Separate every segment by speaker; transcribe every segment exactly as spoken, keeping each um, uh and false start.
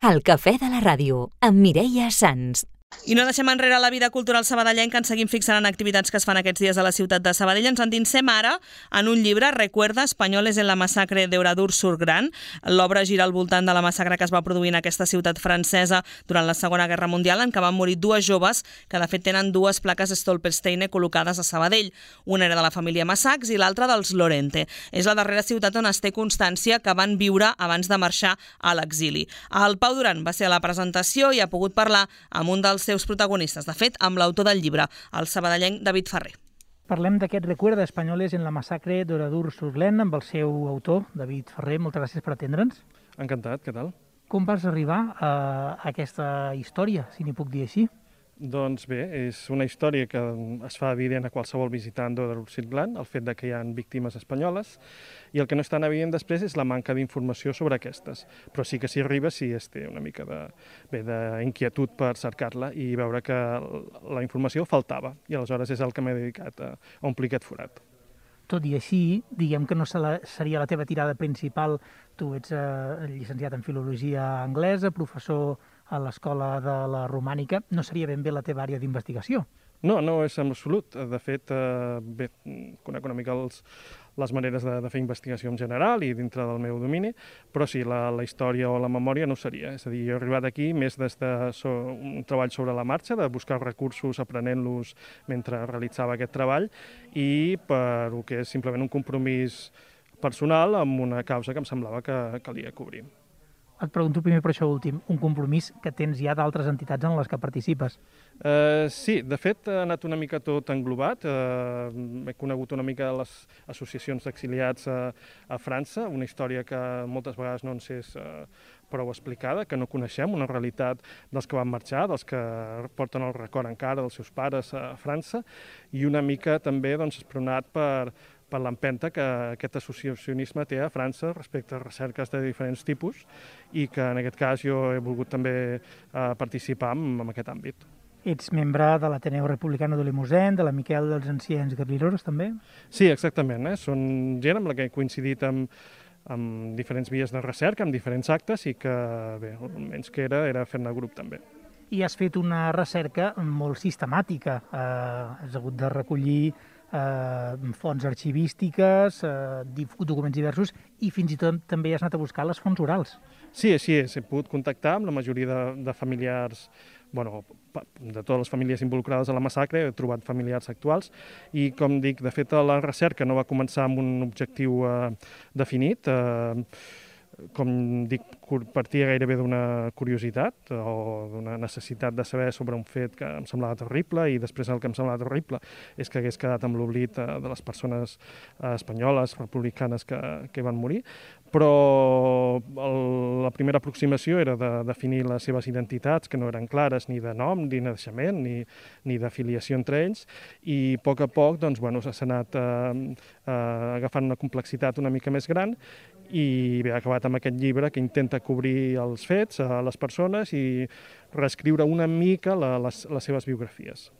Speaker 1: El cafè de la ràdio, amb Mireia Sans.
Speaker 2: I no deixem enrere la vida cultural sabadellenca, ens seguim fixant en activitats que es fan aquests dies a la ciutat de Sabadell. Ens endinsem ara en un llibre, Recuerda, Españoles en la masacre d'Oradour-sur-Glane. L'obra gira al voltant de la massacre que es va produir en aquesta ciutat francesa durant la Segona Guerra Mundial, en què van morir dues joves que de fet tenen dues plaques Stolpersteine col·locades a Sabadell. Una era de la família Massacs i l'altra dels Lorente. És la darrera ciutat on es té constància que van viure abans de marxar a l'exili. El Pau Duran va ser a la presentació i ha pogut parlar amb un dels seus protagonistes, de fet, amb l'autor del llibre, el sabadellenc David Ferrer.
Speaker 3: Parlem d'aquest Recuerda, Españoles en la massacre d'Oradour-sur-Glane amb el seu autor, David Ferrer. Moltes gràcies per atendre'ns.
Speaker 4: Encantat, què tal?
Speaker 3: Com vas arribar a aquesta història, si n'hi puc dir així?
Speaker 4: Doncs bé, és una història que es fa evident a qualsevol visitant d'Oradour-sur-Glane, el fet de que hi ha víctimes espanyoles, i el que no és tan evident després és la manca d'informació sobre aquestes. Però sí que s'hi arriba si es té una mica de, bé, d'inquietud per cercar-la i veure que la informació faltava, i aleshores és el que m'he dedicat a omplir aquest forat.
Speaker 3: Tot i així, diguem que no seria la teva tirada principal. Tu ets eh, llicenciat en Filologia Anglesa, professor a l'Escola de la Romànica. No seria ben bé la teva àrea d'investigació?
Speaker 4: No, no és en absolut. De fet, eh, bé, conec una mica els, les maneres de, de fer investigació en general i dintre del meu domini, però sí, la, la història o la memòria no ho seria. És a dir, jo he arribat aquí més des de so, un treball sobre la marxa, de buscar recursos, aprenent-los mentre realitzava aquest treball, i per el que és simplement un compromís personal amb una causa que em semblava que calia cobrir.
Speaker 3: Et pregunto primer per això últim, un compromís que tens ja d'altres entitats en les que participes.
Speaker 4: Uh, sí, de fet ha anat una mica tot englobat. Uh, he conegut una mica les associacions d'exiliats a, a França, una història que moltes vegades no ens és uh, prou explicada, que no coneixem, una realitat dels que van marxar, dels que porten el record encara dels seus pares a França, i una mica també doncs, espronat per per l'empenta que aquest associacionisme té a França respecte a recerques de diferents tipus i que en aquest cas jo he volgut també eh, participar en, en aquest àmbit.
Speaker 3: Ets membre de l'Ateneu Republicano de Limousin, de la Miquel dels Anciens Garriloros, també?
Speaker 4: Sí, exactament. Eh? Són gent amb la que he coincidit amb, amb diferents vies de recerca, amb diferents actes i que, bé, almenys que era, era fer-ne grup també.
Speaker 3: I has fet una recerca molt sistemàtica. Eh, has hagut de recollir Eh, fonts arxivístiques, eh, documents diversos, i fins i tot també has anat a buscar les fonts orals.
Speaker 4: Sí, així és. He pogut contactar amb la majoria de, de familiars, bueno, de totes les famílies involucrades a la massacre, he trobat familiars actuals, i com dic, de fet la recerca no va començar amb un objectiu eh, definit, eh, com dic, partia gairebé d'una curiositat o d'una necessitat de saber sobre un fet que em semblava terrible, i després el que em semblava terrible és que hagués quedat amb l'oblit de les persones espanyoles, republicanes que, que van morir. Però el, la primera aproximació era de definir les seves identitats, que no eren clares ni de nom, ni de naixement, ni, ni d'afiliació entre ells, i a poc a poc doncs, bueno, s'ha anat eh, eh, agafant una complexitat una mica més gran, i bé, ha acabat amb aquest llibre que intenta cobrir els fets a les persones i reescriure una mica la, les, les seves biografies.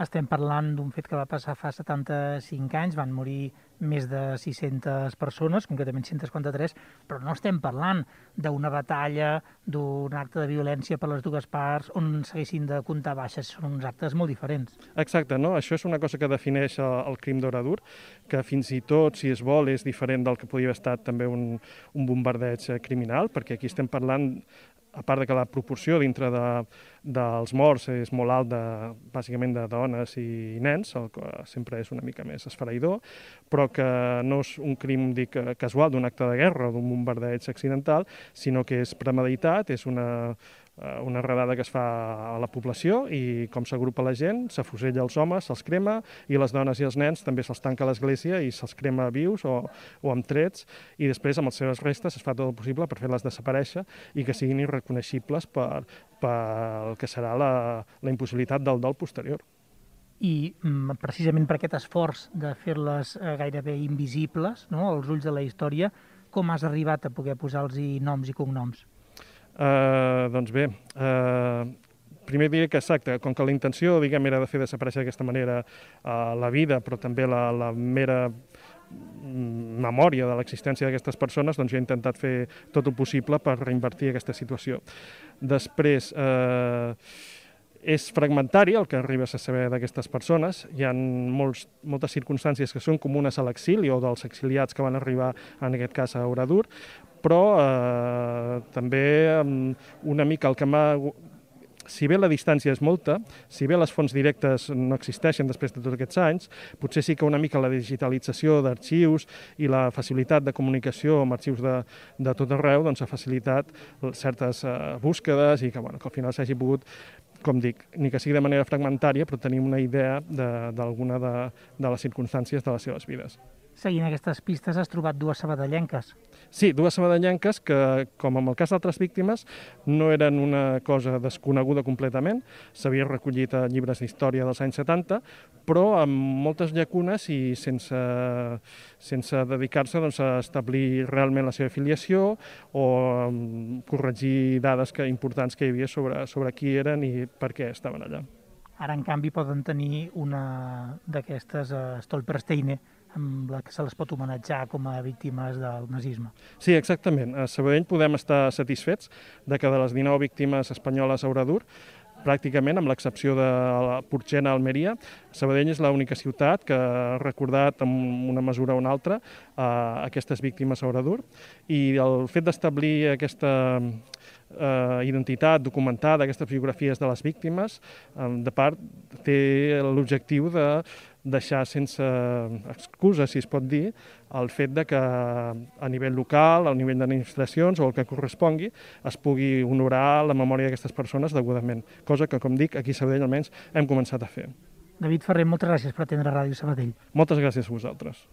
Speaker 3: Estem parlant d'un fet que va passar fa setanta-cinc anys, van morir més de sis-centes persones, concretament cent quaranta-tres, però no estem parlant d'una batalla, d'un acte de violència per les dues parts on s'haguessin de comptar baixes, són uns actes molt diferents.
Speaker 4: Exacte, no? Això és una cosa que defineix el, el crim d'Oradour, que fins i tot, si es vol, és diferent del que podia haver estat també un, un bombardeig criminal, perquè aquí estem parlant, a part de que la proporció dintre de, dels morts és molt alta, bàsicament de dones i nens, el que sempre és una mica més esfereïdor, però que no és un crim, dic, casual d'un acte de guerra o d'un bombardeig accidental, sinó que és premeditat, és una, una redada que es fa a la població i com s'agrupa la gent, s'afusella els homes, se'ls crema, i les dones i els nens també se'ls tanca a l'església i se'ls crema vius o, o amb trets, i després amb les seves restes es fa tot el possible per fer-les desaparèixer i que siguin irreconeixibles per, per el que serà la, la impossibilitat del dol posterior.
Speaker 3: I precisament per aquest esforç de fer-les gairebé invisibles, no?, als ulls de la història, com has arribat a poder posar-los noms i cognoms?
Speaker 4: Uh, doncs bé, uh, primer diré que exacte, com que la intenció, diguem, era de fer desaparèixer d'aquesta manera uh, la vida, però també la, la mera memòria de l'existència d'aquestes persones, doncs jo he intentat fer tot el possible per reinvertir aquesta situació. Després, eh, és fragmentari el que arribes a saber d'aquestes persones. Hi ha molts, moltes circumstàncies que són comunes a l'exili o dels exiliats que van arribar, en aquest cas, a Oradour, però eh, també una mica el que m'ha... Si bé la distància és molta, si bé les fonts directes no existeixen després de tots aquests anys, potser sí que una mica la digitalització d'arxius i la facilitat de comunicació amb arxius de, de tot arreu doncs, ha facilitat certes uh, búsquedes i que, bueno, que al final s'hagi pogut, com dic, ni que sigui de manera fragmentària, però tenim una idea d'alguna de, de, de les circumstàncies de les seves vides.
Speaker 3: Seguint aquestes pistes has trobat dues sabadellenques.
Speaker 4: Sí, dues sabadellenques que, com en el cas d'altres víctimes, no eren una cosa desconeguda completament. S'havia recollit a llibres d'història dels anys setanta, però amb moltes llacunes i sense, sense dedicar-se doncs, a establir realment la seva filiació o corregir dades que, importants que hi havia sobre, sobre qui eren i per què estaven allà.
Speaker 3: Ara, en canvi, poden tenir una d'aquestes uh, Stolpersteine, amb la que se les pot homenatjar com a víctimes del nazisme.
Speaker 4: Sí, exactament. A Sabadell podem estar satisfets de que de les dinou víctimes espanyoles a Oradour, pràcticament, amb l'excepció de la Purchena a Almeria, Sabadell és l'única ciutat que ha recordat en una mesura o una altra eh, aquestes víctimes a Oradour, i el fet d'establir aquesta eh, identitat documentada, aquestes biografies de les víctimes, eh, de part té l'objectiu de deixar sense excusa, si es pot dir, el fet de que a nivell local, a nivell d'administracions o el que correspongui, es pugui honorar la memòria d'aquestes persones degudament, cosa que, com dic, aquí a Sabadell almenys hem començat a fer.
Speaker 3: David Ferrer, moltes gràcies per atendre Ràdio Sabadell.
Speaker 4: Moltes gràcies a vosaltres.